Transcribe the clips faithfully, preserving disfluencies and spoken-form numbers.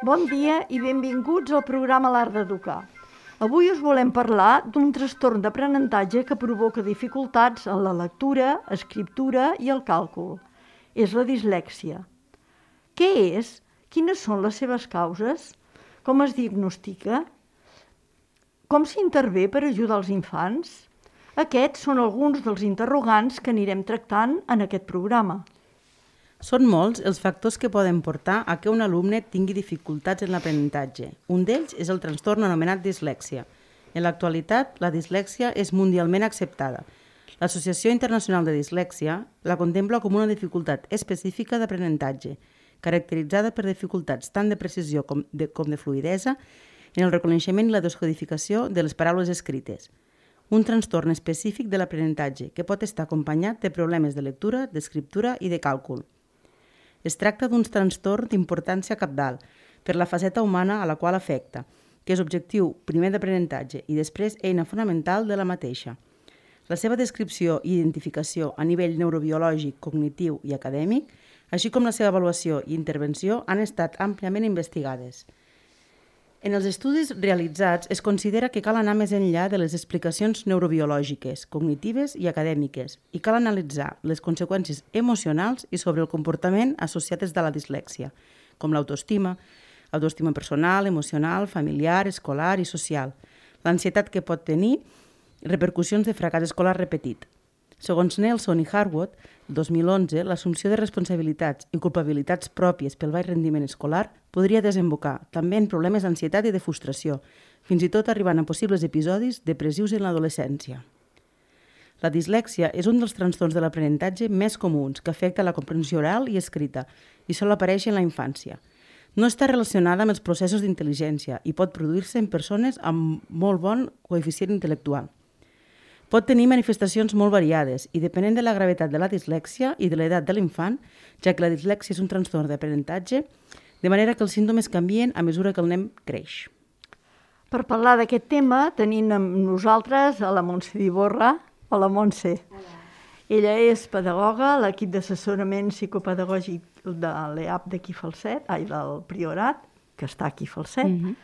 Bon dia i benvinguts al programa L'Art d'Educar. Avui us volem parlar d'un trastorn d'aprenentatge que provoca dificultats en la lectura, escriptura i el càlcul. És la dislèxia. Què és? Quines són les seves causes? Com es diagnostica? Com s'intervé per ajudar els infants? Aquests són alguns dels interrogants que anirem tractant en aquest programa. Són molts els factors que poden portar a que un alumne tingui dificultats en l'aprenentatge. Un d'ells és el trastorn anomenat dislèxia. En l'actualitat, la dislèxia és mundialment acceptada. L'Associació Internacional de Dislèxia la contempla com una dificultat específica d'aprenentatge, caracteritzada per dificultats tant de precisió com de, com de fluïdesa en el reconeixement i la descodificació de les paraules escrites. Un trastorn específic de l'aprenentatge que pot estar acompanyat de problemes de lectura, d'escriptura i de càlcul. Es tracta d'un trastorn d'importància cabdal per la faceta humana a la qual afecta, que és objectiu primer d'aprenentatge i després eina fonamental de la mateixa. La seva descripció i identificació a nivell neurobiològic, cognitiu i acadèmic, així com la seva avaluació i intervenció, han estat àmpliament investigades. En els estudis realitzats es considera que cal anar més enllà de les explicacions neurobiològiques, cognitives i acadèmiques i cal analitzar les conseqüències emocionals i sobre el comportament associades de la dislèxia, com l'autoestima, autoestima personal, emocional, familiar, escolar i social, l'ansietat que pot tenir repercussions de fracàs escolar repetit. Segons Nelson i Harwood, el dos mil onze, l'assumpció de responsabilitats i culpabilitats pròpies pel baix rendiment escolar podria desembocar també en problemes d'ansietat i de frustració, fins i tot arribant a possibles episodis depressius en l'adolescència. La dislèxia és un dels trastorns de l'aprenentatge més comuns que afecta la comprensió oral i escrita i sol aparèixer en la infància. No està relacionada amb els processos d'intel·ligència i pot produir-se en persones amb molt bon coeficient intel·lectual. Pot tenir manifestacions molt variades i depenent de la gravetat de la dislèxia i de l'edat de l'infant, ja que la dislèxia és un trastorn d'aprenentatge, de manera que els símptomes canvien a mesura que el nen creix. Per parlar d'aquest tema tenim amb nosaltres a la Montse d'Iborra. Hola, Montse. Hola. Ella és pedagoga a l'equip d'assessorament psicopedagògic de l'E A P d'aquí Falset, ai, del Priorat, que està aquí Falset, mm-hmm.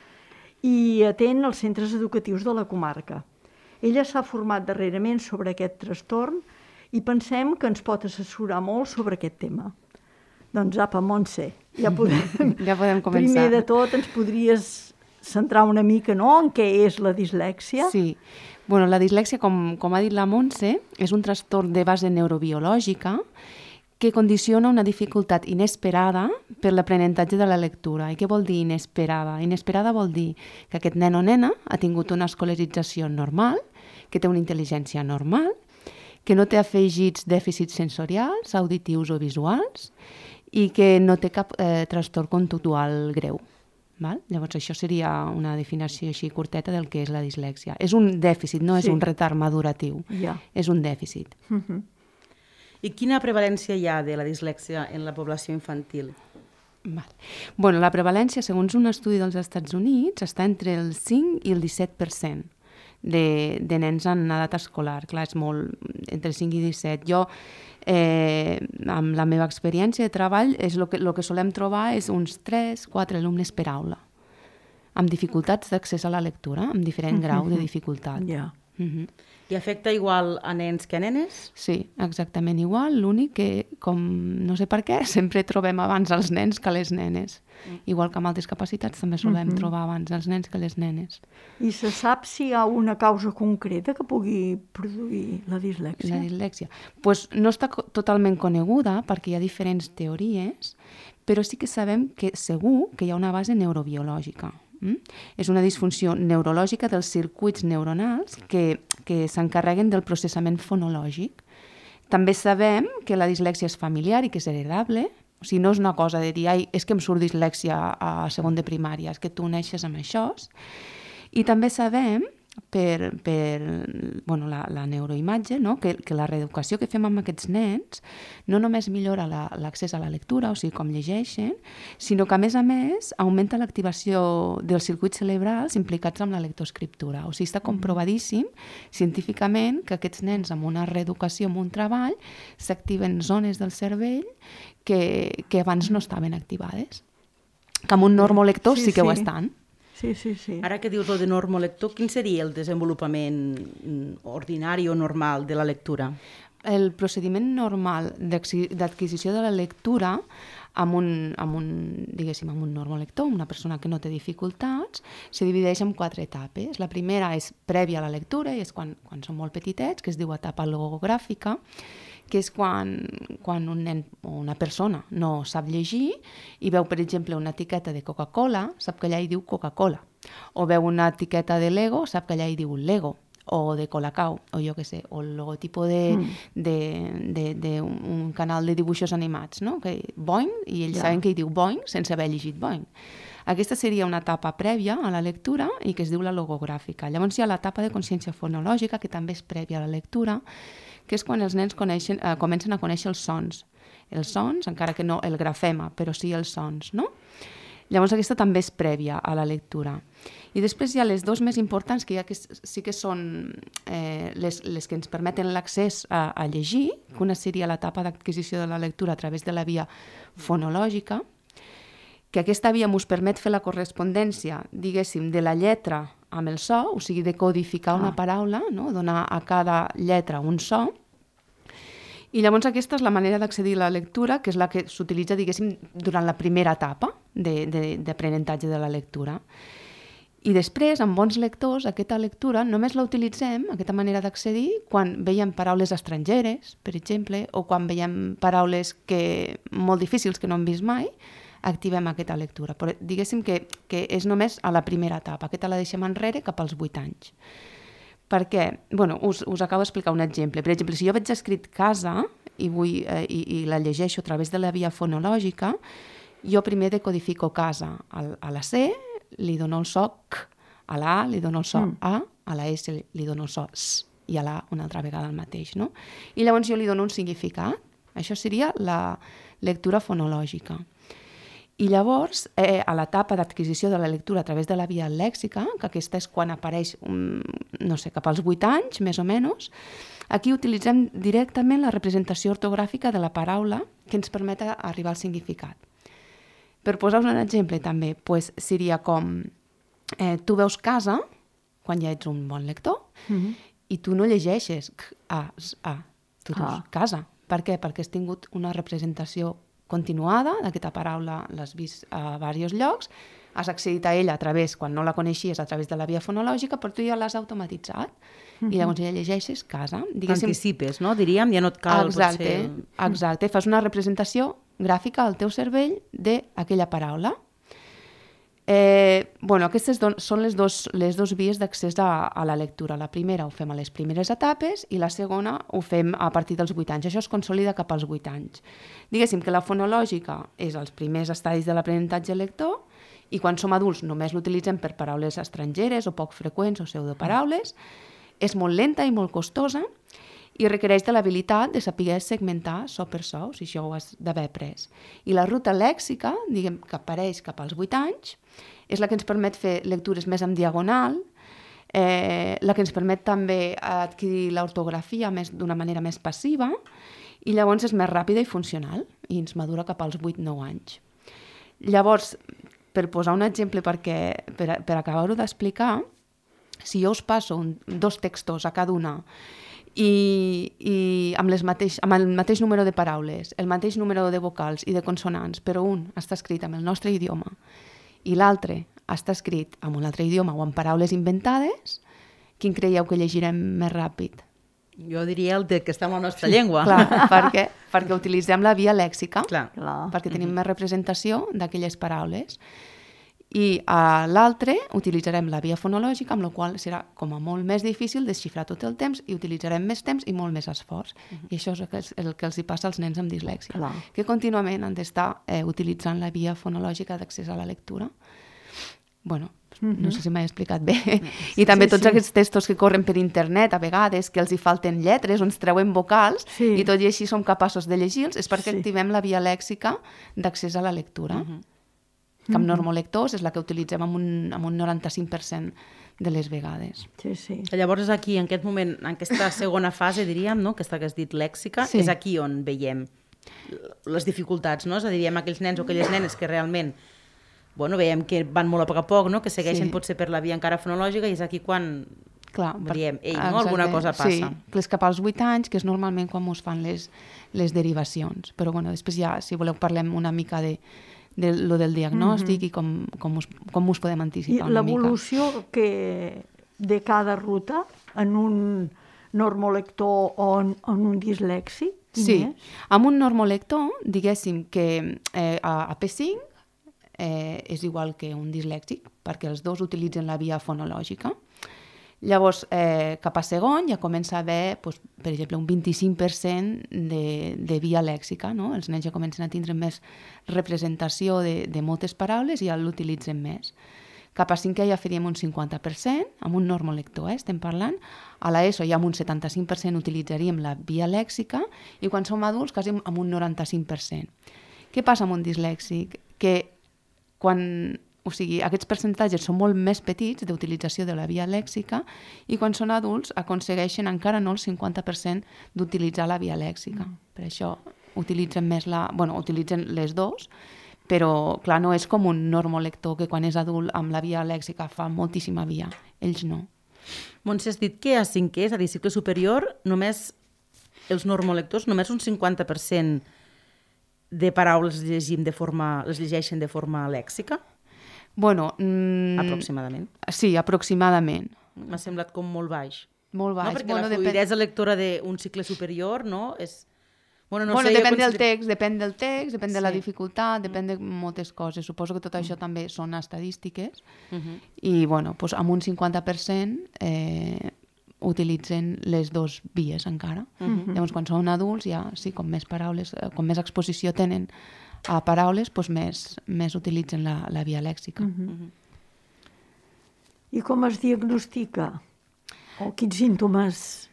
i atén els centres educatius de la comarca. Ella s'ha format darrerament sobre aquest trastorn i pensem que ens pot assessorar molt sobre aquest tema. Doncs apa, Montse, ja podem, ja podem començar. Primer de tot ens podries centrar una mica, no?, en què és la dislèxia? Sí. Bueno, la dislèxia, com, com ha dit la Montse, és un trastorn de base neurobiològica que condiciona una dificultat inesperada per l'aprenentatge de la lectura. I què vol dir inesperada? Inesperada vol dir que aquest nen o nena ha tingut una escolarització normal, que té una intel·ligència normal, que no té afegits dèficits sensorials, auditius o visuals i que no té cap eh, trastorn conductual greu. Val? Llavors, això seria una definició així curteta del que és la dislèxia. És un dèficit, no és sí. un retard maduratiu. Ja. És un dèficit. Uh-huh. I quina prevalència hi ha de la dislèxia en la població infantil? Val. Bueno, la prevalència, segons un estudi dels Estats Units, està entre el cinc i el disset per cent. De, de nens en edat escolar. Clar, és molt, entre cinc i disset. Jo, eh, amb la meva experiència de treball, és el que, lo que solem trobar és uns tres quatre alumnes per aula, amb dificultats d'accés a la lectura, amb diferent grau de dificultat. Ja. Uh-huh. I afecta igual a nens que a nenes? Sí, exactament igual. L'únic que, com no sé per què, sempre trobem abans els nens que les nenes. Mm. Igual que amb altres capacitats també solem mm-hmm. trobar abans els nens que les nenes. I se sap si hi ha una causa concreta que pugui produir la dislèxia? La dislèxia. Pues no està co- totalment coneguda perquè hi ha diferents teories, però sí que sabem que segur que hi ha una base neurobiològica. Mm? És una disfunció neurològica dels circuits neuronals que, que s'encarreguen del processament fonològic. També sabem que la dislèxia és familiar i que és heredable. O sigui, no és una cosa de dir, ai, és que em surt dislèxia a segon de primària, és que tu neixes amb això. I també sabem per, per bueno, la, la neuroimatge, no? que, que la reeducació que fem amb aquests nens no només millora la, l'accés a la lectura, o sigui, com llegeixen, sinó que, a més a més, augmenta l'activació dels circuits cerebrals implicats amb la lectoescriptura. O sigui, està comprovadíssim científicament que aquests nens amb una reeducació, amb un treball, s'activen zones del cervell que, que abans no estaven activades. Que amb un normolector sí, sí que sí. ho estan. Sí, sí, sí. Ara que dius lo de normolector, quin seria el desenvolupament ordinari o normal de la lectura? El procediment normal d'adquisició de la lectura amb un, amb un, diguéssim, amb un normolector, una persona que no té dificultats, se divideix en quatre etapes. La primera és prèvia a la lectura, i és quan, quan són molt petitets, que es diu etapa logogràfica, que és quan, quan un nen o una persona no sap llegir i veu, per exemple, una etiqueta de Coca-Cola, sap que allà hi diu Coca-Cola. O veu una etiqueta de Lego, sap que allà hi diu Lego. O de Colacao, o jo què sé, o el logotipo de, mm. de, de, de un, un canal de dibuixos animats, no? Que Boing, i ells ja. saben que hi diu Boing sense haver llegit Boing. Aquesta seria una etapa prèvia a la lectura i que es diu la logogràfica. Llavors hi ha l'etapa de consciència fonològica, que també és prèvia a la lectura, que és quan els nens coneixen, eh, comencen a conèixer els sons. Els sons, encara que no el grafema, però sí els sons, no? Llavors aquesta també és prèvia a la lectura. I després hi ha les dues més importants, que, ha que sí que són eh, les, les que ens permeten l'accés a, a llegir, que una seria l'etapa d'adquisició de la lectura a través de la via fonològica, que aquesta via ens permet fer la correspondència, diguéssim, de la lletra amb el so, o sigui, de codificar una paraula, no? Donar a cada lletra un so. I llavors aquesta és la manera d'accedir a la lectura, que és la que s'utilitza, diguéssim, durant la primera etapa d'aprenentatge de, de la lectura. I després, amb bons lectors, aquesta lectura només la utilitzem, aquesta manera d'accedir, quan veiem paraules estrangeres, per exemple, o quan veiem paraules que, molt difícils que no hem vist mai, activem aquesta lectura. Però diguéssim que, que és només a la primera etapa. Aquesta la deixem enrere cap als vuit anys. Per què? Bueno, us, us acabo d'explicar un exemple. Per exemple, si jo veig escrit casa i, vull, eh, i, i la llegeixo a través de la via fonològica, jo primer decodifico casa. Al, a la C li dono el so C, a la A li dono el so mm. A, a la S li dono el so S, i a la A una altra vegada el mateix, no? I llavors jo li dono un significat. Això seria la lectura fonològica. I llavors, eh, a l'etapa d'adquisició de la lectura a través de la via lèxica, que aquesta és quan apareix, um, no sé, cap als vuit anys, més o menys, aquí utilitzem directament la representació ortogràfica de la paraula que ens permet arribar al significat. Per posar-vos un exemple també, pues, seria com eh, tu veus casa, quan ja ets un bon lector, mm-hmm. i tu no llegeixes A, A, tu dius ah. casa. Per què? Perquè has tingut una representació continuada d'aquesta paraula, l'has vist a diversos llocs, has accedit a ella a través, quan no la coneixies, a través de la via fonològica, però tu ja l'has automatitzat. Mm-hmm. I llavors ja llegeixes casa. Diguéssim... Anticipes, no? Diríem, ja no et cal exacte, potser... Exacte, fas una representació gràfica al teu cervell d'aquella paraula. Eh, bueno, aquestes don, són les dos, les dos vies d'accés a, a la lectura. La primera ho fem a les primeres etapes i la segona ho fem a partir dels vuit anys. Això es consolida cap als vuit anys. Diguéssim que la fonològica és els primers estadis de l'aprenentatge lector i quan som adults només l'utilitzem per paraules estrangeres o poc freqüents o pseudoparaules. És molt lenta i molt costosa i requereix de l'habilitat de saber segmentar so per so, si això ho has d'haver après. I la ruta lèxica, diguem, que apareix cap als vuit anys, és la que ens permet fer lectures més en diagonal, eh, la que ens permet també adquirir l'ortografia d'una manera més passiva, i llavors és més ràpida i funcional, i ens madura cap als vuit nou anys. Llavors, per posar un exemple perquè, per, per acabar-ho d'explicar, si jo us passo un, dos textos a cada una i, i amb, les mateix, amb el mateix número de paraules, el mateix número de vocals i de consonants, però un està escrit amb el nostre idioma i l'altre està escrit amb un altre idioma o amb paraules inventades, quin creieu que llegirem més ràpid? Jo diria el de que està en la nostra llengua. Clar, perquè, perquè utilitzem la via lèxica, clar. Perquè tenim mm-hmm. més representació d'aquelles paraules. I a l'altre utilitzarem la via fonològica, amb la qual serà com a molt més difícil desxifrar tot el temps i utilitzarem més temps i molt més esforç. Uh-huh. I això és el que, el que els hi passa als nens amb dislèxia, Clar. que contínuament han d'estar eh, utilitzant la via fonològica d'accés a la lectura. bueno, no sé si m'he explicat bé, i també Sí, tots sí. aquests textos que corren per internet a vegades, que els hi falten lletres o ens treuen vocals, Sí. i tot i així som capaços de llegir-los, és perquè Sí. activem la via lèxica d'accés a la lectura. Que amb normolectors és la que utilitzem amb un, amb un noranta-cinc per cent de les vegades. Sí, sí. Llavors és aquí, en aquest moment, en aquesta segona fase, diríem, no? Aquesta que has dit lèxica, Sí. és aquí on veiem les dificultats, no? És a dir, diem aquells nens o aquelles nenes que realment, bueno, veiem que van molt a poc a poc, no? Que segueixen Sí. potser per la via encara fonològica, i és aquí quan Clar, diem, ei, no? exacte. Alguna cosa passa. Sí, que és cap als vuit anys, que és normalment quan us fan les, les derivacions. Però bueno, després ja, si voleu, parlem una mica de, de lo del diagnòstic mm-hmm. i com, com, us, com us podem I anticipar una mica. l'evolució que de cada ruta en un normolector o en, en un dislèxic? quin Sí, és? amb un normolector, diguéssim que eh, a, a P cinc eh, és igual que un dislèxic, perquè els dos utilitzen la via fonològica. Llavors, eh, cap a segon ja comença a haver, doncs, per exemple, un vint-i-cinc per cent de, de via lèxica, no? Els nens ja comencen a tindre més representació de, de moltes paraules i ja l'utilitzen més. Cap a cinquè ja faríem un cinquanta per cent, amb un normolector, eh, estem parlant. A l'ESO ja amb un setanta-cinc per cent utilitzaríem la via lèxica i quan som adults quasi amb un noranta-cinc per cent. Què passa amb un dislèxic? Que quan, o sigui, aquests percentatges són molt més petits d'utilització de la via lèxica i quan són adults aconsegueixen encara no el cinquanta per cent d'utilitzar la via lèxica. Mm. Per això utilitzen més la... Bueno, utilitzen les dues, però, clar, no és com un normolector que quan és adult amb la via lèxica fa moltíssima via. Ells no. Montse, has dit que a cinquè, és a dir, cicle superior, només els normolectors, només un cinquanta per cent de paraules llegim de forma, les llegeixen de forma lèxica? Bueno... Mm, aproximadament. Sí, aproximadament. M'ha semblat com molt baix. Molt baix. No, perquè bueno, la fluïdesa depèn... lectora d'un cicle superior, no? És... Bueno, no bueno, sé, depèn consider... del text, depèn del text, depèn Sí. de la dificultat, depèn de moltes coses. Suposo que tot això també són estadístiques. Uh -huh. I, bueno, doncs amb un cinquanta per cent eh, utilitzen les dues vies encara. Uh -huh. Llavors, quan són adults, ja, sí, com més paraules, com més exposició tenen a paraules, doncs més, més utilitzen la, la via lèxica. Uh -huh. I com es diagnostica? O quins símptomes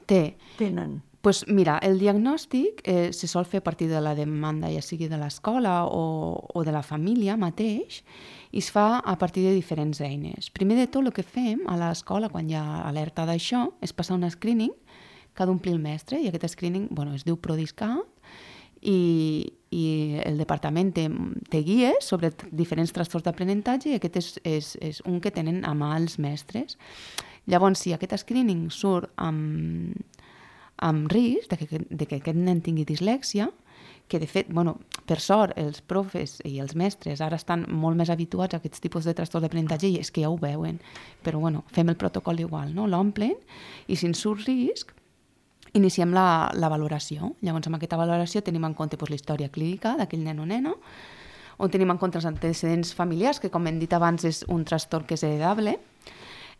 Té. tenen? Pues mira, el diagnòstic eh, se sol fer a partir de la demanda, ja sigui de l'escola o, o de la família mateix, i es fa a partir de diferents eines. Primer de tot, el que fem a l'escola, quan hi ha alerta d'això, és passar un screening que ha d'omplir el mestre, i aquest screening, bueno, es diu PRODISCAT, i, i el departament té, té guies sobre diferents trastorns d'aprenentatge, i aquest és, és, és un que tenen a mà els mestres. Llavors, si aquest screening surt amb... amb risc de que, de que aquest nen tingui dislèxia, que de fet, bueno, per sort, els profes i els mestres ara estan molt més habituats a aquests tipus de trastorns d'aprenentatge i és que ja ho veuen, però bueno, fem el protocol igual, no? L'omplen i si ens surt risc, iniciem la, la valoració. Llavors, amb aquesta valoració tenim en compte doncs, la història clínica d'aquell nen o nena, on tenim en compte els antecedents familiars, que com hem dit abans és un trastorn que és heredable,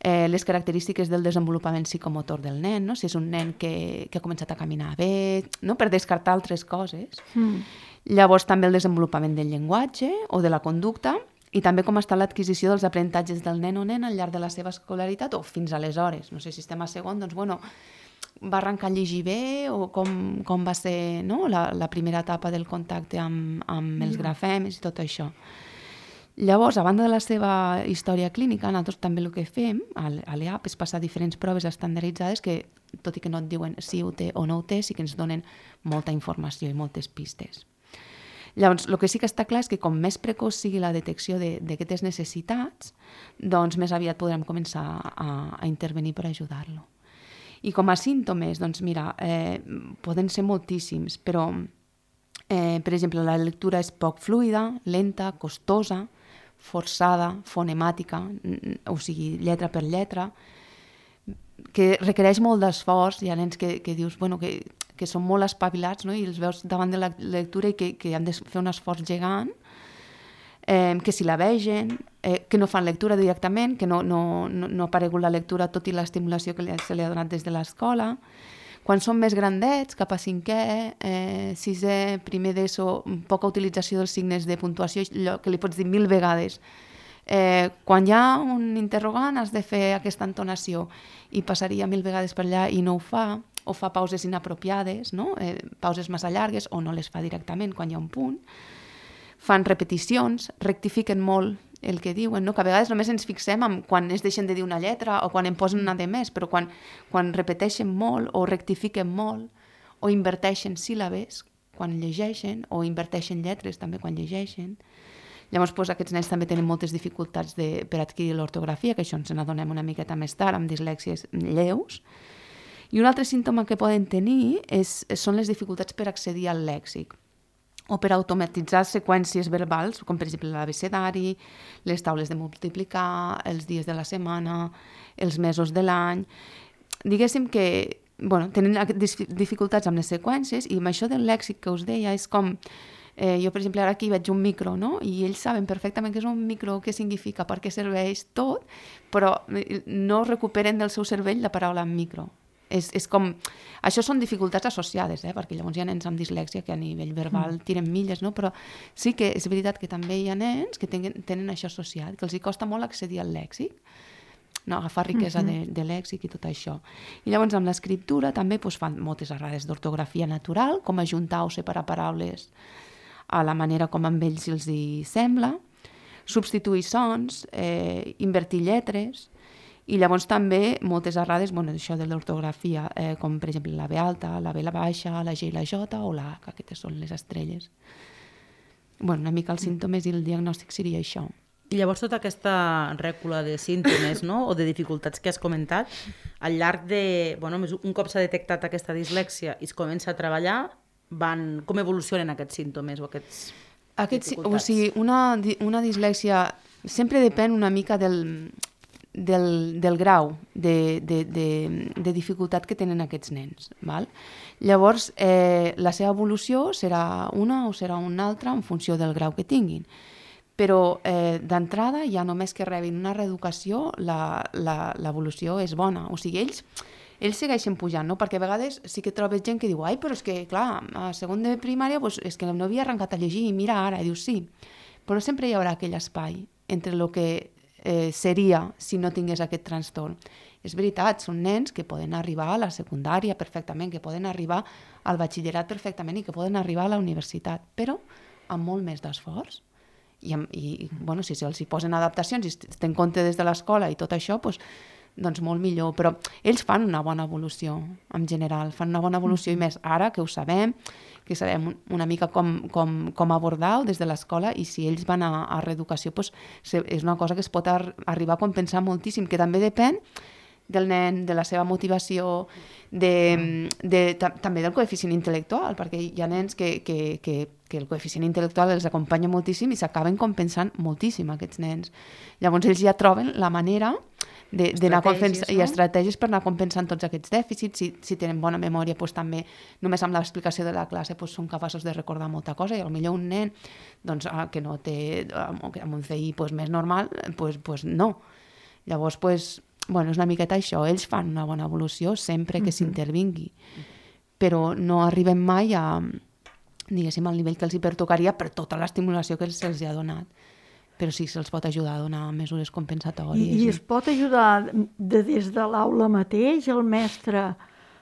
Eh, les característiques del desenvolupament psicomotor del nen, no? Si és un nen que, que ha començat a caminar bé, no? Per descartar altres coses. Mm. Llavors també el desenvolupament del llenguatge o de la conducta i també com està l'adquisició dels aprenentatges del nen o nena al llarg de la seva escolaritat o fins aleshores. No sé si estem a segon, doncs bueno, va arrencar a llegir bé o com, com va ser, no? la, la primera etapa del contacte amb, amb els grafemes i tot això. Llavors, a banda de la seva història clínica, nosaltres també el que fem a l'E A P és passar diferents proves estandarditzades que, tot i que no et diuen si ho té o no ho té, sí que ens donen molta informació i moltes pistes. Llavors, el que sí que està clar és que com més precoç sigui la detecció d'aquestes necessitats, doncs més aviat podrem començar a, a intervenir per ajudar-lo. I com a símptomes, doncs mira, eh, poden ser moltíssims, però, eh, per exemple, la lectura és poc fluida, lenta, costosa, forçada, fonemàtica, o sigui, lletra per lletra, que requereix molt d'esforç. Hi ha nens que, que dius bueno, que, que són molt espavilats, no? I els veus davant de la lectura i que, que han de fer un esforç gegant, eh, que si la vegen, eh, que no fan lectura directament, que no, no, no, no ha aparegut la lectura tot i l'estimulació que li, se li ha donat des de l'escola. Quan són més grandets, cap a cinquè, eh, sisè, primer d'ESO, poca utilització dels signes de puntuació, allò que li pots dir mil vegades, Eh, quan hi ha un interrogant has de fer aquesta entonació i passaria mil vegades per allà i no ho fa, o fa pauses inapropiades, no? eh, pauses massa llargues, o no les fa directament quan hi ha un punt. Fan repeticions, rectifiquen molt el que diuen, no? Que a vegades només ens fixem en quan es deixen de dir una lletra o quan en posen una de més, però quan, quan repeteixen molt o rectifiquen molt o inverteixen síl·labes quan llegeixen o inverteixen lletres també quan llegeixen. Llavors, doncs, aquests nens també tenen moltes dificultats de, per adquirir l'ortografia, que això ens n'adonem una miqueta més tard, amb dislèxies lleus. I un altre símptoma que poden tenir és, són les dificultats per accedir al lèxic o per automatitzar seqüències verbals, com per exemple l'abecedari, les taules de multiplicar, els dies de la setmana, els mesos de l'any. Diguéssim que bueno, tenen dificultats amb les seqüències i amb això del lèxic que us deia és com... Eh, jo, per exemple, ara aquí veig un micro, no? I ells saben perfectament què és un micro, què significa, per què serveix tot, però no recuperen del seu cervell la paraula micro. És, és com... Això són dificultats associades, eh? Perquè llavors hi ha nens amb dislèxia que a nivell verbal tiren milles, no? Però sí que és veritat que també hi ha nens que tenen, tenen això associat, que els hi costa molt accedir al lèxic, no? Agafar riquesa de, de lèxic i tot això. I llavors amb l'escriptura també doncs, fan moltes errades d'ortografia natural, com ajuntar o separar paraules a la manera com amb ells els hi sembla, substituir sons, eh, invertir lletres, i llavors també moltes errades, bueno, això de l'ortografia, eh, com per exemple la B alta, la B la baixa, la G i la J o la H, aquestes són les estrelles. Bueno, una mica els símptomes i el diagnòstic seria això. I llavors tota aquesta rècula de símptomes, no? O de dificultats que has comentat, al llarg de... Bueno, un cop s'ha detectat aquesta dislèxia i es comença a treballar, van, com evolucionen aquests símptomes o aquests Aquests, dificultats? O sigui, una, una dislèxia sempre depèn una mica del... Del, del grau de, de, de, de dificultat que tenen aquests nens. Val? Llavors, eh, la seva evolució serà una o serà una altra en funció del grau que tinguin. Però eh, d'entrada, ja només que rebin una reeducació, l'evolució és bona. O sigui, ells, ells segueixen pujant, no? Perquè a vegades sí que trobes gent que diu ai, però és que, clar, a segon de primària pues, és que no havia arrencat a llegir i mira ara, i dius sí. Però sempre hi haurà aquell espai entre el que Eh, seria si no tingués aquest trastorn. És veritat, són nens que poden arribar a la secundària perfectament, que poden arribar al batxillerat perfectament i que poden arribar a la universitat, però amb molt més d'esforç. I, i bueno, si se'ls hi posen adaptacions i es té en compte des de l'escola i tot això, doncs, doncs molt millor. Però ells fan una bona evolució, en general, fan una bona evolució, i més ara que ho sabem, que sabem una mica com, com, com abordar-ho des de l'escola, i si ells van a, a reeducació, doncs, és una cosa que es pot ar arribar a compensar moltíssim, que també depèn del nen, de la seva motivació, de, de, també del coeficient intel·lectual, perquè hi ha nens que, que, que, que el coeficient intel·lectual els acompanya moltíssim i s'acaben compensant moltíssim aquests nens. Llavors ells ja troben la manera d'anar compensant, no? I estratègies per anar compensant tots aquests dèficits. Si, si tenen bona memòria, doncs, també només amb l'explicació de la classe doncs, són capaços de recordar molta cosa, i potser un nen doncs, que no té amb un C I doncs, més normal, doncs, doncs no. Llavors, doncs, bueno, és una miqueta això, ells fan una bona evolució sempre que s'intervingui, però no arribem mai a, diguéssim, al nivell que els hi pertocaria per tota l'estimulació que se'ls ha donat. Però sí, se'ls pot ajudar a donar mesures compensatòries. I, i es pot ajudar de, des de l'aula mateix? El mestre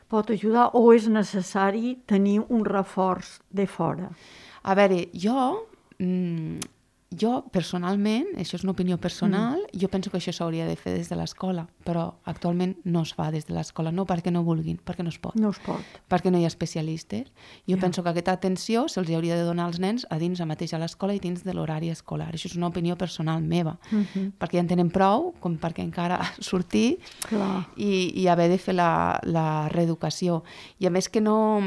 pot ajudar o és necessari tenir un reforç de fora? A veure, jo, mmm, jo personalment, això és una opinió personal, mm. jo penso que això s'hauria de fer des de l'escola, però actualment no es fa des de l'escola, no perquè no vulguin, perquè no es pot. No es pot. Perquè no hi ha especialistes. Jo ja. penso que aquesta atenció se'ls hauria de donar als nens a dins a mateix a l'escola i dins de l'horari escolar. Això és una opinió personal meva, uh -huh. perquè ja en tenen prou com perquè encara sortir i, i haver de fer la, la reeducació. I a més que no...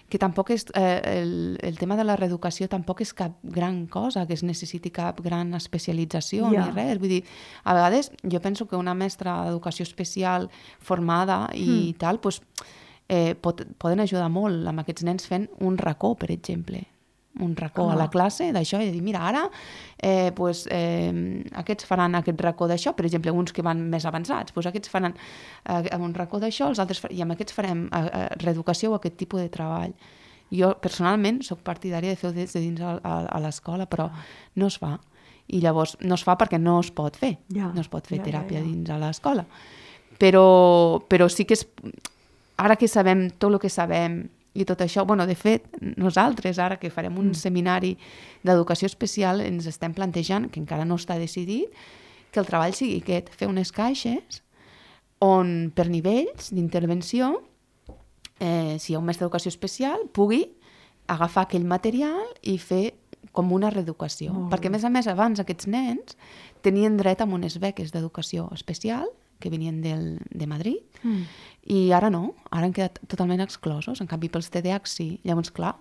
que tampoc és... Eh, el, el tema de la reeducació tampoc és cap gran cosa, que es necessiti cap gran especialització yeah. ni res. Vull dir, a vegades jo penso que una mestra d'educació especial formada i mm. tal, doncs, eh, pot, poden ajudar molt amb aquests nens fent un racó, per exemple. Un racó ah. a la classe d'això i de dir, mira, ara eh, pues, eh, aquests faran aquest racó d'això, per exemple, uns que van més avançats, doncs aquests faran eh, un racó d'això, els altres i amb aquests farem eh, reeducació o aquest tipus de treball. Jo, personalment, sóc partidària de fer-ho des de dins a, a, a l'escola, però no es fa. i llavors no es fa perquè no es pot fer, ja, no es pot fer ja, teràpia ja, ja. dins a l'escola. Però, però sí que és, ara que sabem tot el que sabem i tot això, bueno, de fet, nosaltres ara que farem un mm. seminari d'educació especial ens estem plantejant, que encara no està decidit, que el treball sigui aquest, fer unes caixes on per nivells d'intervenció, eh, si hi ha un mestre d'educació especial, pugui agafar aquell material i fer com una reeducació. Oh. Perquè, a més a més, abans aquests nens tenien dret a unes beques d'educació especial que venien del, de Madrid, mm. i ara no, ara han quedat totalment exclosos, en canvi pels T D A H sí. Llavors, clar,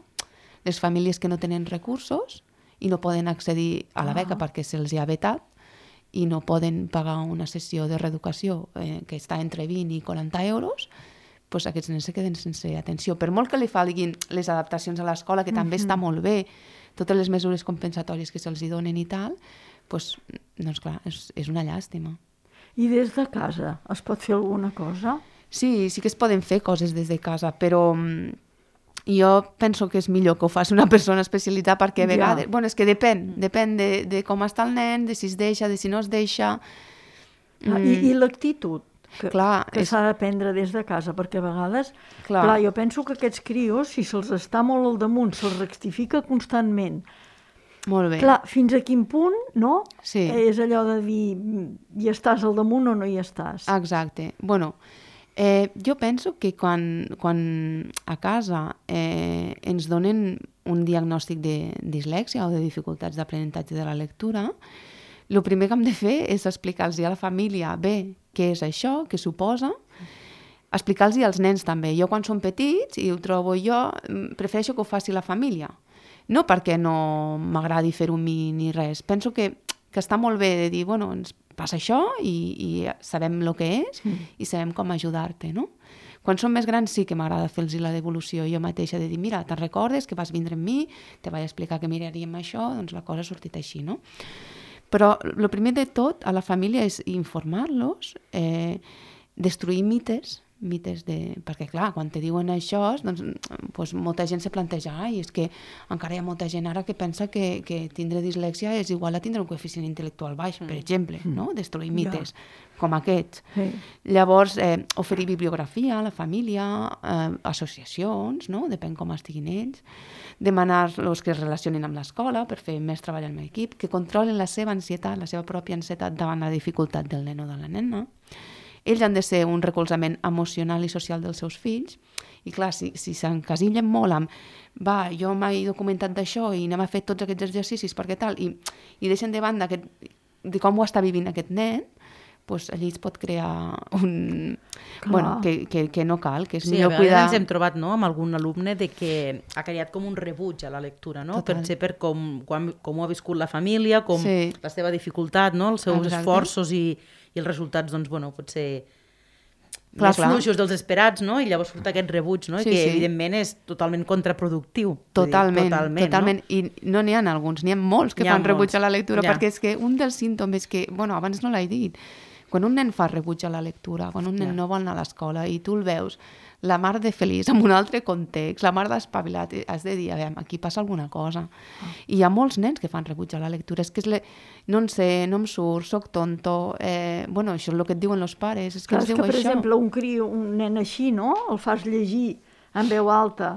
les famílies que no tenen recursos i no poden accedir a la beca ah. perquè se'ls ha vetat i no poden pagar una sessió de reeducació eh, que està entre vint i quaranta euros, doncs aquests nens se queden sense atenció. Per molt que li falguin les adaptacions a l'escola, que també mm-hmm. està molt bé, totes les mesures compensatòries que se'ls donen i tal, doncs, doncs clar, és, és una llàstima. I des de casa es pot fer alguna cosa? Sí, sí que es poden fer coses des de casa, però jo penso que és millor que ho faci una persona especialitzada perquè a vegades... Ja. Bueno, és que depèn, depèn de, de com està el nen, de si es deixa, de si no es deixa... Ah, mm. I, i l'actitud que, clar, que és... s'ha d'aprendre des de casa, perquè a vegades... Clar. clar, jo penso que aquests crios, si se'ls està molt al damunt, se'ls rectifica constantment... Molt bé. Clar, fins a quin punt, no? Sí. És allò de dir, hi estàs al damunt o no hi estàs. Exacte. Bueno, eh, jo penso que quan, quan a casa eh, ens donen un diagnòstic de dislèxia o de dificultats d'aprenentatge de la lectura, el primer que hem de fer és explicar-los a la família bé què és això, què suposa, explicar-los als nens també. Jo quan són petits i ho trobo jo, prefereixo que ho faci la família. No perquè no m'agradi fer-ho a mi ni res. Penso que, que està molt bé de dir, bueno, ens passa això i, i sabem el que és mm. i sabem com ajudar-te, no? Quan són més grans sí que m'agrada fer-los la devolució jo mateixa, de dir, mira, te'n recordes que vas vindre amb mi, te vaig explicar que miraríem això, doncs la cosa ha sortit així, no? Però el primer de tot a la família és informar-los, eh, destruir mites, mites de... Perquè, clar, quan te diuen això, doncs, doncs molta gent se planteja, ai, és que encara hi ha molta gent ara que pensa que, que tindre dislèxia és igual a tindre un coeficient intel·lectual baix, mm. per exemple, mm. no? Destruir mites ja. com aquests. Sí. Llavors, eh, oferir bibliografia a la família, eh, associacions, no? Depèn com estiguin ells, demanar-los que es relacionin amb l'escola per fer més treball amb l'equip, que controlin la seva ansietat, la seva pròpia ansietat davant la dificultat del nen o de la nena. Ells han de ser un recolzament emocional i social dels seus fills i clar, si, si s'encasillen molt amb va, jo m'he documentat d'això i anem a fer tots aquests exercicis perquè tal, i, i deixen de banda aquest, de com ho està vivint aquest nen, doncs allí es pot crear un... Clar. Bueno, que, que, que no cal, que és sí, millor cuidar... Sí, a vegades cuidar... ens hem trobat no, amb algun alumne de que ha creat com un rebuig a la lectura, no? Total. Per ser per com, com, com ho ha viscut la família, com sí. la seva dificultat, no? Els seus Exacte. esforços i, i els resultats, doncs, bueno, pot ser... Clar, més clar. fluixos dels esperats, no? I llavors surt aquest rebuig, no? Sí, I que sí. evidentment és totalment contraproductiu. Totalment, dir, totalment, totalment. No? I no n'hi ha alguns, n'hi ha molts que ha fan molts. rebuig a la lectura, ja. perquè és que un dels símptomes que, bueno, abans no l'he dit, quan un nen fa rebuig a la lectura, quan un nen ja. no vol anar a l'escola i tu el veus, la mar de feliç, en un altre context, la mar d'espavilat, has de dir, a veure, aquí passa alguna cosa. Oh. I hi ha molts nens que fan rebuig a la lectura, és que és le... no en sé, no em surt, soc tonto, eh... bueno, això és el que et diuen els pares, és que Clar, ens és diu que, per això. exemple, un crio, un nen així, no?, el fas llegir en veu alta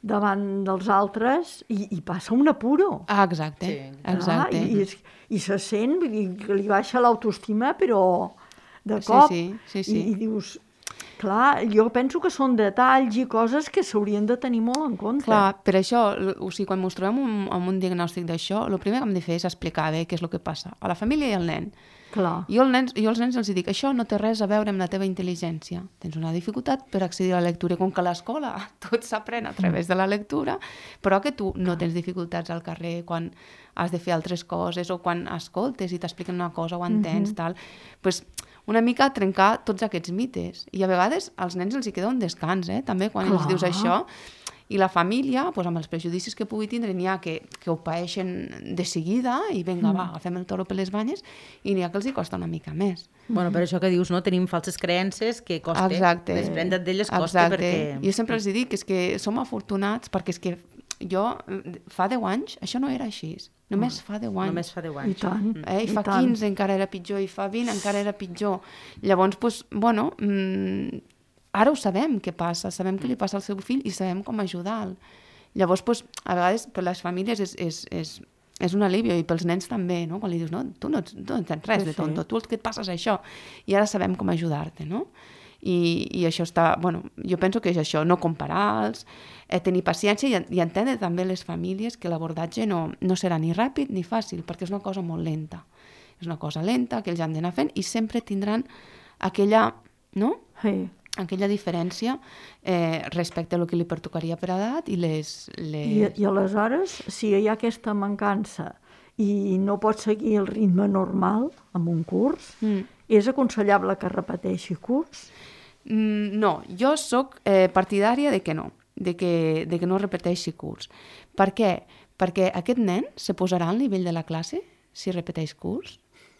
davant dels altres i, i passa un apuro. Ah, exacte, sí. exacte. Ah, i, i, I se sent, vull dir, que li baixa l'autoestima, però de cop, sí, sí, sí, sí. I, i dius... Clar, jo penso que són detalls i coses que s'haurien de tenir molt en compte. Clar, per això, o sigui, quan ens trobem un, amb un diagnòstic d'això, el primer que hem de fer és explicar bé què és el que passa a la família i al nen. Clar. Jo, el nens, jo als nens els dic, això no té res a veure amb la teva intel·ligència. Tens una dificultat per accedir a la lectura, com que a l'escola tot s'aprèn a través de la lectura, però que tu no tens dificultats al carrer quan has de fer altres coses o quan escoltes i t'expliquen una cosa o entens, mm-hmm. tal. Pues, una mica trencar tots aquests mites. I a vegades als nens els hi queda un descans, eh? també, quan Clar. els dius això. I la família, doncs, amb els prejudicis que pugui tindre, n'hi ha que, que ho paeixen de seguida i vinga, mm. va, agafem el toro per les banyes, i n'hi ha que els hi costa una mica més. Bueno, per això que dius, no? Tenim falses creences que costa. Exacte. Desprendre't d'elles costa Exacte. perquè... Jo sempre els dic que és que som afortunats perquè és que jo, fa deu anys, això no era així. Només fa deu anys. Només fa deu anys. I tant. Eh? I, I fa tant. quinze encara era pitjor, i fa vint encara era pitjor. Llavors, doncs, bueno, mmm, ara ho sabem què passa, sabem què li passa al seu fill i sabem com ajudar-lo. Llavors, doncs, a vegades, per les famílies és, és, és, és un alivio, i pels nens també, no? Quan li dius, no, tu no, tu no tens res sí, de tonto, sí. tu el que et passa és això. I ara sabem com ajudar-te, no? I, i això està, bueno, jo penso que és això, no comparar-los, eh, tenir paciència i, i entendre també les famílies que l'abordatge no, no serà ni ràpid ni fàcil, perquè és una cosa molt lenta. És una cosa lenta que ells han d'anar fent i sempre tindran aquella, no? Sí. aquella diferència eh, respecte a el que li pertocaria per edat i les... les... I, I aleshores, si hi ha aquesta mancança i no pot seguir el ritme normal amb un curs, mm. és aconsellable que repeteixi curs? Mm, no, jo sóc eh, partidària de que no, de que, de que no repeteixi curs. Per què? Perquè aquest nen se posarà al nivell de la classe si repeteix curs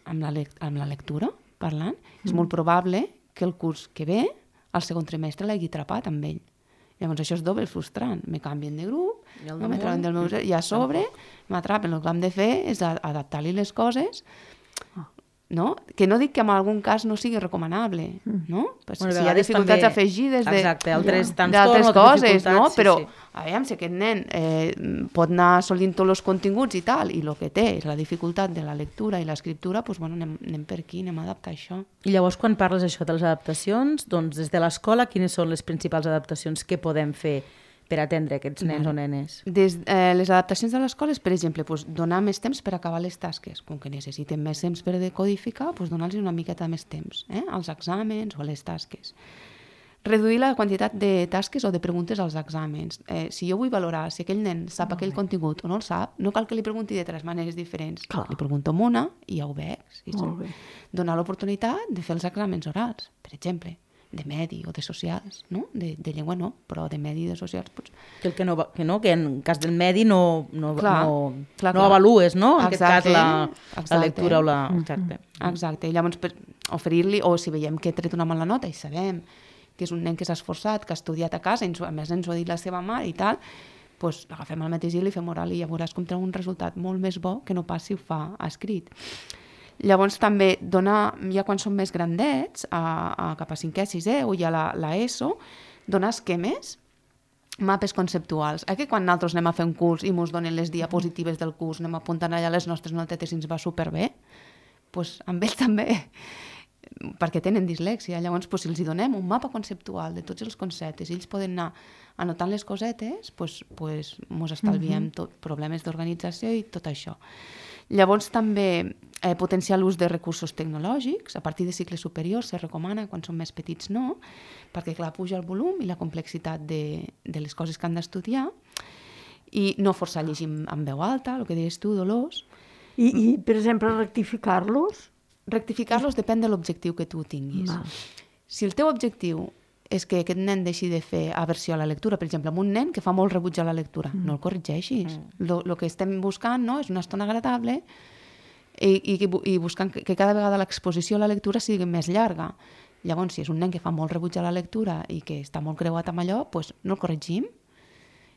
amb la, lec amb la lectura, parlant. Mm. És molt probable que el curs que ve, al segon trimestre, l'hagi atrapat amb ell. Llavors això és doble frustrant. Me canvien de grup, no me trauen del meu... i a sobre m'atrapen. El que hem de fer és adaptar-li les coses, no? Que no dic que en algun cas no sigui recomanable, no? Pues bueno, si hi ha dificultats també... afegides de, exacte, altres ja, d'altres coses, no? Sí, Però, sí. a veure, si aquest nen eh, pot anar assolint tots els continguts i tal, i el que té és la dificultat de la lectura i l'escriptura, doncs, bueno, anem, anem per aquí, anem a adaptar això. I llavors, quan parles això de les adaptacions, doncs, des de l'escola, quines són les principals adaptacions que podem fer per atendre aquests nens o nenes? Des, eh, les adaptacions de l'escola és, per exemple, doncs, donar més temps per acabar les tasques. Com que necessiten més temps per decodificar, doncs donar-los una miqueta més temps, eh? als exàmens o a les tasques. Reduir la quantitat de tasques o de preguntes als exàmens. Eh, si jo vull valorar si aquell nen sap Molt aquell bé. contingut o no el sap, no cal que li pregunti de tres maneres diferents. Clar. Li pregunto amb una i ja ho veig. Sí, sí. Donar l'oportunitat de fer els exàmens orals, per exemple, de medi o de socials, no? De, de llengua no, però de medi i de socials pots... Que, el que, no, que, no, que en cas del medi no, no, clar, no, clar, no clar. avalues, no? En Exacte, aquest cas la, exacte. la lectura o la... Exacte. Exacte. I llavors per oferir-li, o si veiem que ha tret una mala nota i sabem que és un nen que s'ha esforçat, que ha estudiat a casa, ens, a més ens ho ha dit la seva mare i tal, doncs l'agafem al mateix dia i li fem oral i ja veuràs com té un resultat molt més bo que no pas si ho fa escrit. Llavors també donar, ja quan són més grandets, a, a cap a cinquè, sisè o ja la, la ESO, donar esquemes, mapes conceptuals. Eh, que quan nosaltres anem a fer un curs i ens donen les diapositives del curs, anem apuntant allà les nostres notetes i ens va superbé, doncs amb ells també, perquè tenen dislèxia. Llavors, doncs, si els donem un mapa conceptual de tots els conceptes i ells poden anar anotant les cosetes, doncs, doncs ens estalviem tot, problemes d'organització i tot això. Llavors també eh, potenciar l'ús de recursos tecnològics, a partir de cicles superiors se recomana, quan són més petits no, perquè clar, puja el volum i la complexitat de, de les coses que han d'estudiar, i no forçar a llegir en veu alta, el que deies tu, Dolors. I, i per exemple, rectificar-los? Rectificar-los depèn de l'objectiu que tu tinguis. Va. Si el teu objectiu és que aquest nen deixi de fer aversió a la lectura, per exemple, amb un nen que fa molt rebuig a la lectura, mm. no el corregeixis. El mm. que estem buscant, no?, és una estona agradable i, i, i buscant que, que cada vegada l'exposició a la lectura sigui més llarga. Llavors, si és un nen que fa molt rebuig a la lectura i que està molt creuat amb allò, doncs no el corregim.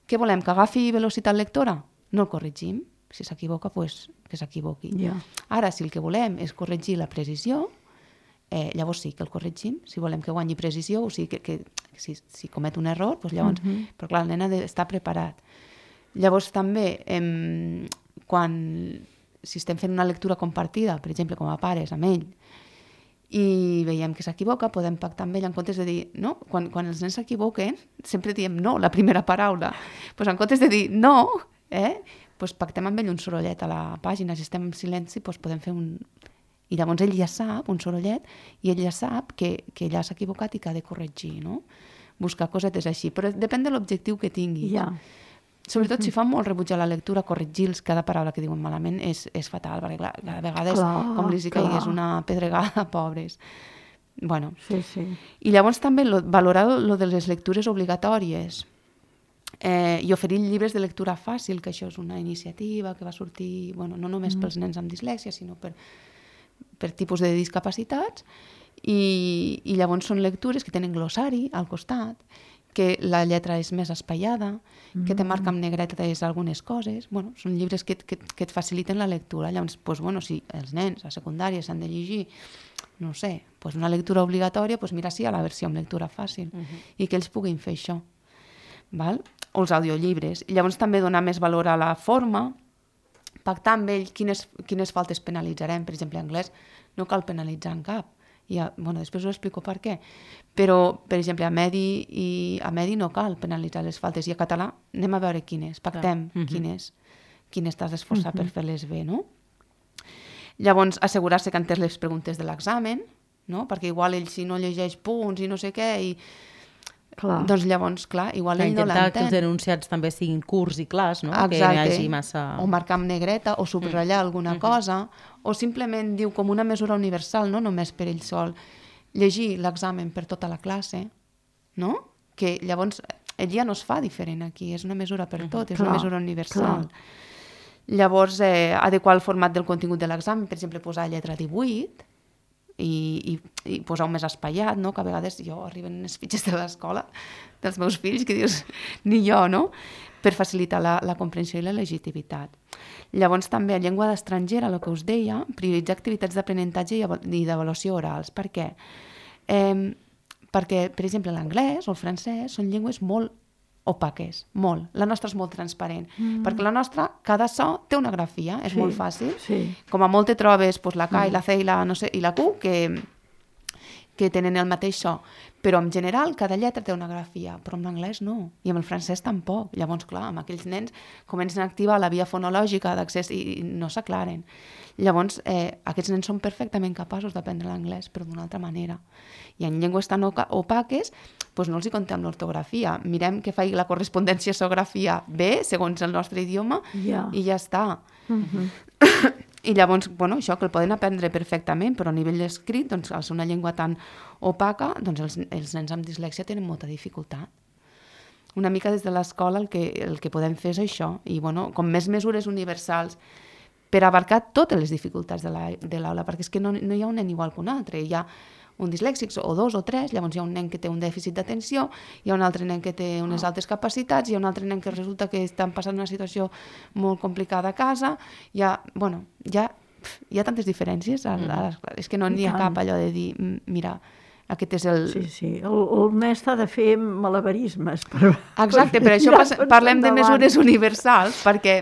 Què volem, que agafi velocitat lectora? No el corregim. Si s'equivoca, doncs que s'equivoqui. Yeah. Ara, si el que volem és corregir la precisió, Eh, llavors sí que el corregim, si volem que guanyi precisió, o sigui que, que, que si, si comet un error, doncs llavors, uh-huh. però clar, el nen ha d'estar preparat. Llavors també, eh, quan, si estem fent una lectura compartida, per exemple, com a pares, amb ell, i veiem que s'equivoca, podem pactar amb ell en comptes de dir, no, quan, quan els nens s'equivoquen, sempre diem no, la primera paraula, doncs en comptes de dir no, eh, doncs pactem amb ell un sorollet a la pàgina, si estem en silenci, doncs podem fer un... I llavors ell ja sap, un sorollet, i ell ja sap que, que ella s'ha equivocat i que ha de corregir, no? Buscar cosetes així, però depèn de l'objectiu que tinguis. Ja. Sobretot si fan molt rebuig a la lectura, corregir-los cada paraula que diuen malament és, és fatal, perquè clar, cada vegada és clar, com li caigués una pedregada, pobres. Bueno. Sí, sí. I llavors també lo, valorar lo de les lectures obligatòries eh, i oferir llibres de lectura fàcil, que això és una iniciativa que va sortir, bueno, no només mm. pels nens amb dislèxia, sinó per... per tipus de discapacitats i, i llavors són lectures que tenen glossari al costat que la lletra és més espaiada, mm. que te marca amb negretes algunes coses. Bueno, són llibres que, que, que et faciliten la lectura. Llavors, pues, bueno, si els nens a secundària s'han de llegir, no sé, pues una lectura obligatòria, pues mira, sí, a la versió amb lectura fàcil, mm-hmm. i que ells puguin fer això. Val? O els audiollibres. I llavors també donar més valor a la forma, pactar amb ell quines, quines faltes penalitzarem. Per exemple, en anglès no cal penalitzar en cap. I a, bueno, després us explico per què. Però, per exemple, a Medi, i a Medi no cal penalitzar les faltes. I a català anem a veure quines, pactem uh-huh. quines, quines t'has d'esforçar uh-huh. per fer-les bé, no? Llavors, assegurar-se que han entès les preguntes de l'examen, no? Perquè igual ell si no llegeix punts i no sé què, i clar. Doncs llavors, clar, igual ell no l'entén. Intentar que els enunciats també siguin curts i clars, no? Exacte. Que no hi hagi massa... O marcar amb negreta, o subratllar mm. alguna mm-hmm. cosa, o simplement diu com una mesura universal, no només per ell sol, llegir l'examen per tota la classe, no? Que llavors ell ja no es fa diferent aquí, és una mesura per tot, mm-hmm. és clar, una mesura universal. Clar. Llavors, eh, adequar el format del contingut de l'examen, per exemple, posar lletra divuit, i, i, i posar-ho més espaiat, no? Que a vegades jo arriben les fitxes de l'escola dels meus fills que dius, ni jo, no? Per facilitar la, la comprensió i la legitimitat. Llavors també a llengua d'estrangera, el que us deia, prioritzar activitats d'aprenentatge i d'avaluació orals. Per què? Eh, perquè, per exemple, l'anglès o el francès són llengües molt opaques, molt. La nostra és molt transparent, mm. perquè la nostra, cada so té una grafia, és sí, molt fàcil. Sí. Com a molt te trobes pues, la K mm. i la C i la, no sé, i la Q, que, que tenen el mateix so. Però en general cada lletra té una grafia, però en l'anglès no, i amb el francès tampoc. Llavors, clar, amb aquells nens comencen a activar la via fonològica d'accés i no s'aclaren. Llavors, eh, aquests nens són perfectament capaços d'aprendre l'anglès, però d'una altra manera. I en llengües tan opaques, doncs no els hi contem l'ortografia. Mirem que faci la correspondència sografia bé, segons el nostre idioma, yeah. i ja està. Uh-huh. I llavors, bueno, això que el poden aprendre perfectament, però a nivell d'escrit, doncs, al ser una llengua tan opaca, doncs els, els nens amb dislèxia tenen molta dificultat. Una mica des de l'escola el que, el que podem fer és això, i bueno, com més mesures universals per abarcar totes les dificultats de l'aula, perquè és que no, no hi ha un nen igual que un altre, hi ha un dislèxic o dos o tres, llavors hi ha un nen que té un dèficit d'atenció, hi ha un altre nen que té unes altes capacitats, hi ha un altre nen que resulta que estan passant una situació molt complicada a casa, hi ha, bueno, hi ha, hi ha tantes diferències, a, a les, és que no n'hi ha cap allò de dir, mira, aquest és el... Sí, sí, el, el mestre ha de fer malabarismes. Per, Exacte, per, per això pas, parlem de mesures universals, perquè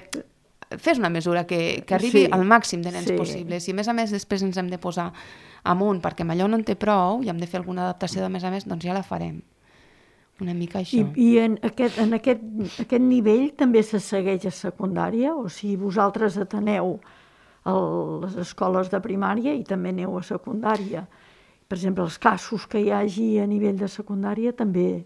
fes una mesura que, que arribi sí, al màxim de nens sí. possibles, i a més a més després ens hem de posar amunt, perquè amb allò no en té prou i hem de fer alguna adaptació de més a més, doncs ja la farem. Una mica això. I, i en, aquest, en aquest, aquest nivell també se segueix a secundària? O sigui, vosaltres ateneu a les escoles de primària i també aneu a secundària. Per exemple, els casos que hi hagi a nivell de secundària també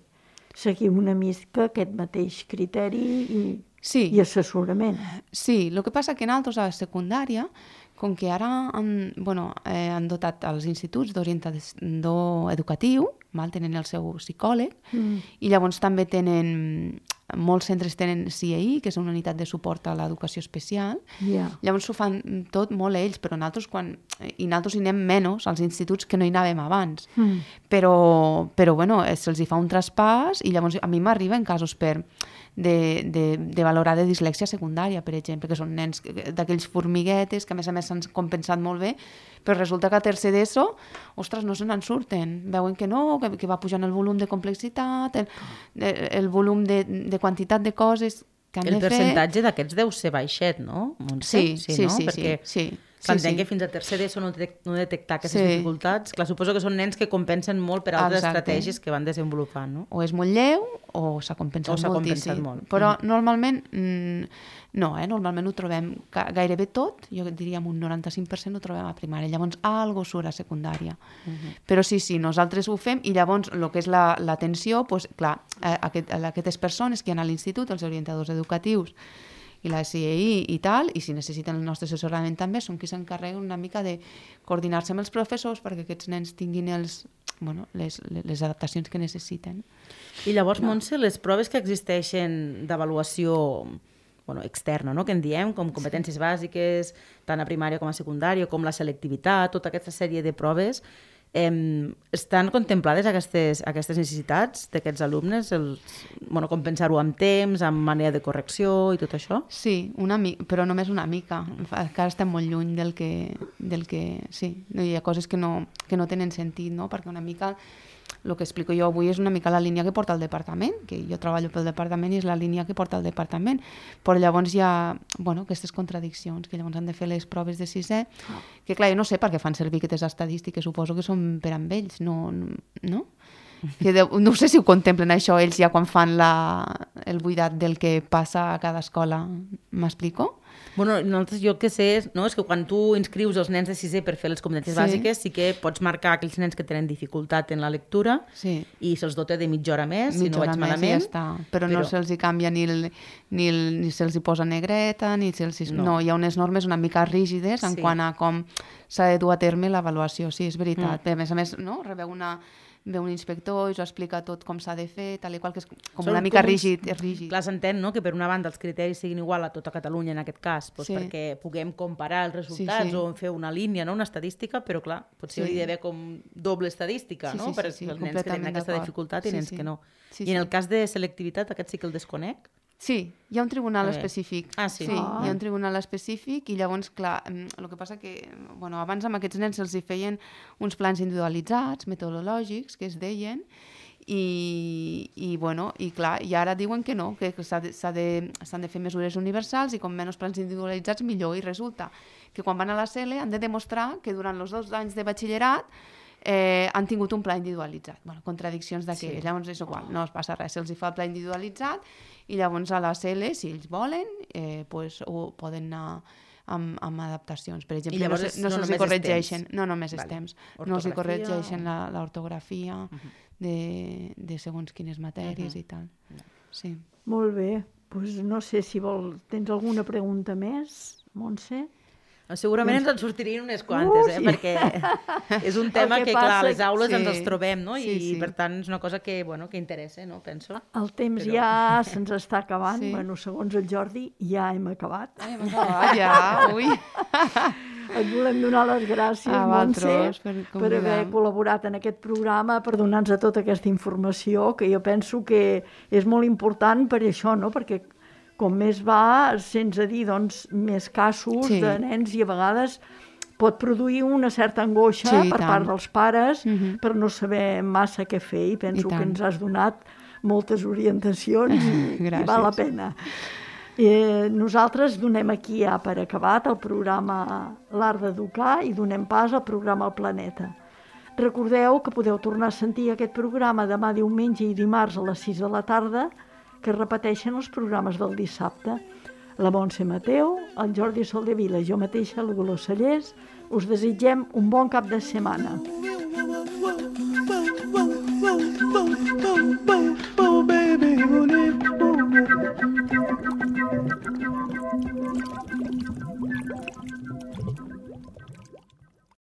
seguim una mica aquest mateix criteri i, sí. i assessorament. Sí, el que passa que en altres a la secundària, com que ara han, bueno, eh, han dotat els instituts d'orientador educatiu, mal, tenen el seu psicòleg, mm. i llavors també tenen, molts centres tenen C I E, que és una unitat de suport a l'educació especial, yeah. llavors ho fan tot molt ells, però nosaltres, quan, i nosaltres hi anem menys als instituts que no hi anàvem abans, mm. però, però bueno, se'ls hi fa un traspàs, i llavors a mi m'arriben casos per... De, de, de valorar de dislèxia secundària, per exemple, que són nens d'aquells formiguetes que a més a més s'han compensat molt bé, però resulta que a tercer d'ESO, ostres, no se n'en surten. Veuen que no, que, que va pujant el volum de complexitat, el, el volum de, de quantitat de coses que han el de fer. El percentatge d'aquests deu ser baixet, no? Montse? Sí, sí, sí, no? sí, Perquè... sí. S'entén sí, sí. que fins a tercer d'ESO no, detec no detectar aquestes sí. dificultats. Clar, suposo que són nens que compensen molt per altres Exacte. estratègies que van desenvolupant, no? O és molt lleu o s'ha compensat, compensat molt. Però mm. normalment, mm, no, eh? normalment ho trobem gairebé tot, jo diria un noranta-cinc per cent ho trobem a primària, llavors algo surt a secundària. Mm-hmm. Però sí, sí, nosaltres ho fem i llavors el que és l'atenció, la, pues, clar, a, aquest, a aquestes persones que han a l'institut, els orientadors educatius, i la C I E i tal, i si necessiten el nostre assessorament també, són qui s'encarreguen una mica de coordinar-se amb els professors perquè aquests nens tinguin els, bueno, les, les adaptacions que necessiten. I llavors, no. Montse, les proves que existeixen d'avaluació bueno, externa, no? Que en diem, com competències sí. bàsiques, tant a primària com a secundària, com la selectivitat, tota aquesta sèrie de proves, Eh, estan contemplades aquestes, aquestes necessitats d'aquests alumnes? Els, bueno, compensar-ho amb temps, amb manera de correcció i tot això? Sí, una mi- però només una mica. Encara estem molt lluny del que... Del que sí, hi ha coses que no, que no tenen sentit, no? Perquè una mica... El que explico jo avui és una mica la línia que porta el departament, que jo treballo pel departament i és la línia que porta el departament, però llavors hi ha bueno, aquestes contradiccions, que llavors han de fer les proves de sisè, que clar, jo no sé per què fan servir aquestes estadístiques, suposo que són per amb ells, no? no? Que de, no sé si ho contemplen això ells ja quan fan la, el buidat del que passa a cada escola, m'explico? Bueno, nosaltres, jo el que sé és, no, és que quan tu inscrius els nens de sisè per fer les competències Sí. bàsiques, sí que pots marcar aquells nens que tenen dificultat en la lectura Sí. i se'ls dota de mitja hora més, si Mitja no hora vaig més i malament. ja està. Però, Però- no se'ls hi canvia ni, el, ni, el, ni se'ls hi posa negreta, ni se'ls hi... No. No. Hi ha unes normes una mica rígides en Sí. quant a com s'ha de dur a terme l'avaluació. Sí, és veritat. Mm. A més a més, no? Rebeu una... ve un inspector i us explica tot com s'ha de fer, tal i qual, que és com Són una mica com uns- rígid, és rígid. Clar, s'entén, no?, que per una banda els criteris siguin igual a tota Catalunya en aquest cas, doncs Sí. perquè puguem comparar els resultats Sí, sí. o fer una línia, no?, una estadística, però clar, potser Sí. hauria d'haver com doble estadística, Sí, no?, sí, per sí, sí, els nens que tenen completament aquesta d'acord. dificultat i Sí, nens sí. que no. Sí, I en sí. el cas de selectivitat, aquest sí que el desconec? Sí, hi ha un tribunal A veure. específic. Ah, sí? Sí, Ah. hi ha un tribunal específic i llavors, clar, mm, el que passa que bueno, abans amb aquests nens se'ls hi feien uns plans individualitzats, metodològics, que es deien, i, i, bueno, i clar, i ara diuen que no, que s'ha de, s'ha de, s'han de fer mesures universals i com menys plans individualitzats millor, i resulta que quan van a la C E L E han de demostrar que durant els dos anys de batxillerat eh, han tingut un pla individualitzat. Bueno, contradiccions d'aquelles. Sí. Llavors és igual, no es passa res, se'ls hi fa el pla individualitzat i llavors a la C E L E, si ells volen, eh, pues, ho poden anar amb, amb adaptacions. Per exemple, llavors no, és- se- no no se'ls només hi és corregeixen, temps. no només és Vale. temps, no els hi Ortografia corregeixen o- la- l'ortografia de, de segons quines matèries Mhm. i tal. Sí. Molt bé. Pues no sé si vol... Tens alguna pregunta més, Montse? Segurament ens en sortirien unes quantes, Uh, eh? sí. perquè és un tema El que que, clar, a passa- les aules sí. ens els trobem, no? I, Sí, sí. per tant, és una cosa que, bueno, que interessa, no? Penso. El temps Però- ja se'ns està acabant. Sí. Bueno, segons el Jordi, ja hem acabat. Ai, hem acabat ja, ui. Et volem donar les gràcies, A Montse, vosaltres per per haver convidar-me. col·laborat en aquest programa, per donar-nos tota aquesta informació, que jo penso que és molt important per això, no? Perquè com més va, sents a dir, doncs, més casos Sí. de nens i a vegades pot produir una certa angoixa Sí, i per tant. part dels pares Mhm. per no saber massa què fer, i penso I que tant. ens has donat moltes orientacions i, i Gràcies. val la pena. Eh, nosaltres donem aquí ja per acabat el programa L'Art d'Educar i donem pas al programa El Planeta. Recordeu que podeu tornar a sentir aquest programa demà diumenge i dimarts a les sis de la tarda, que repeteixen els programes del dissabte. La Montse Mateu, el Jordi Soldevila i jo mateixa, la Dolors Sallés, us desitgem un bon cap de setmana. Boom, boom, boom, boom, boom, boom, boom, boom.